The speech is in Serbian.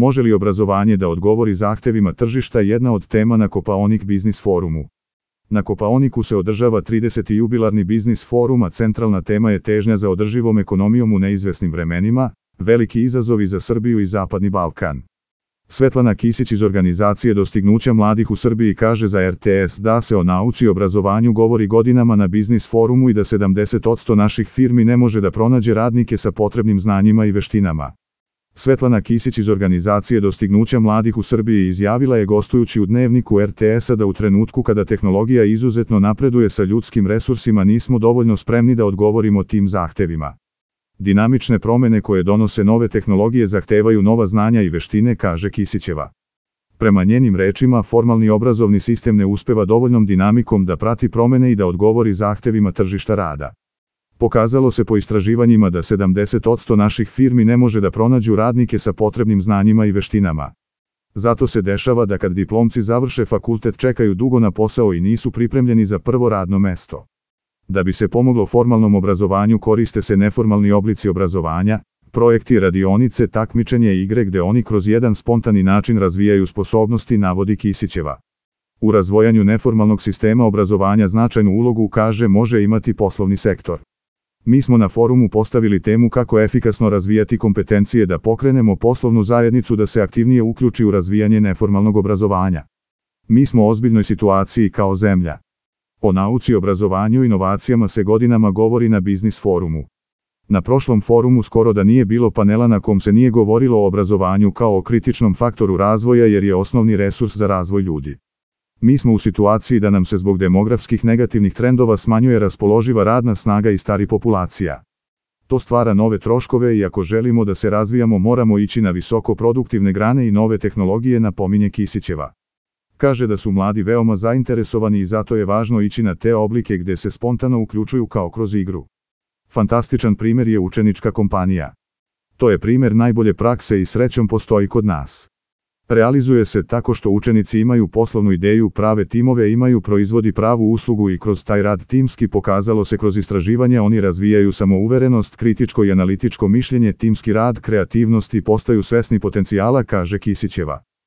Može li obrazovanje da odgovori zahtevima tržišta jedna od tema na Kopaonik Biznis forumu. Na Kopaoniku se održava 30. jubilarni biznis forum, a centralna tema je težnja za održivom ekonomijom u neizvesnim vremenima, veliki izazovi za Srbiju i Zapadni Balkan. Svetlana Kisić iz organizacije Dostignuća mladih u Srbiji kaže za RTS da se o nauci i obrazovanju govori godinama na biznis forumu i da 70% naših firmi ne može da pronađe radnike sa potrebnim znanjima i veštinama. Svetlana Kisić iz organizacije Dostignuća mladih u Srbiji izjavila je gostujući u dnevniku RTS-a da u trenutku kada tehnologija izuzetno napreduje sa ljudskim resursima nismo dovoljno spremni da odgovorimo tim zahtevima. Dinamične promene koje donose nove tehnologije zahtevaju nova znanja i veštine, kaže Kisićeva. Prema njenim rečima, formalni obrazovni sistem ne uspeva dovoljnom dinamikom da prati promene i da odgovori zahtevima tržišta rada. Pokazalo se po istraživanjima da 70% naših firmi ne može da pronađu radnike sa potrebnim znanjima i veštinama. Zato se dešava da kad diplomci završe fakultet čekaju dugo na posao i nisu pripremljeni za prvo radno mesto. Da bi se pomoglo formalnom obrazovanju koriste se neformalni oblici obrazovanja, projekti, radionice, takmičenje i igre gde oni kroz jedan spontani način razvijaju sposobnosti, navodi Kisićeva. U razvojanju neformalnog sistema obrazovanja značajnu ulogu, kaže, može imati poslovni sektor. Mi smo na forumu postavili temu kako efikasno razvijati kompetencije da pokrenemo poslovnu zajednicu da se aktivnije uključi u razvijanje neformalnog obrazovanja. Mi smo u ozbiljnoj situaciji kao zemlja. O nauci, obrazovanju i inovacijama se godinama govori na biznis forumu. Na prošlom forumu skoro da nije bilo panela na kom se nije govorilo o obrazovanju kao o kritičnom faktoru razvoja jer je osnovni resurs za razvoj ljudi. Mi smo u situaciji da nam se zbog demografskih negativnih trendova smanjuje raspoloživa radna snaga i stari populacija. To stvara nove troškove i ako želimo da se razvijamo moramo ići na visoko produktivne grane i nove tehnologije, napominje Kisićeva. Kaže da su mladi veoma zainteresovani i zato je važno ići na te oblike gde se spontano uključuju kao kroz igru. Fantastičan primjer je učenička kompanija. To je primjer najbolje prakse i srećom postoji kod nas. Realizuje se tako što učenici imaju poslovnu ideju, prave timove, imaju proizvodi pravu uslugu i kroz taj rad timski, pokazalo se kroz istraživanja, oni razvijaju samouverenost, kritičko i analitičko mišljenje, timski rad, kreativnost i postaju svesni potencijala, kaže Kisićeva.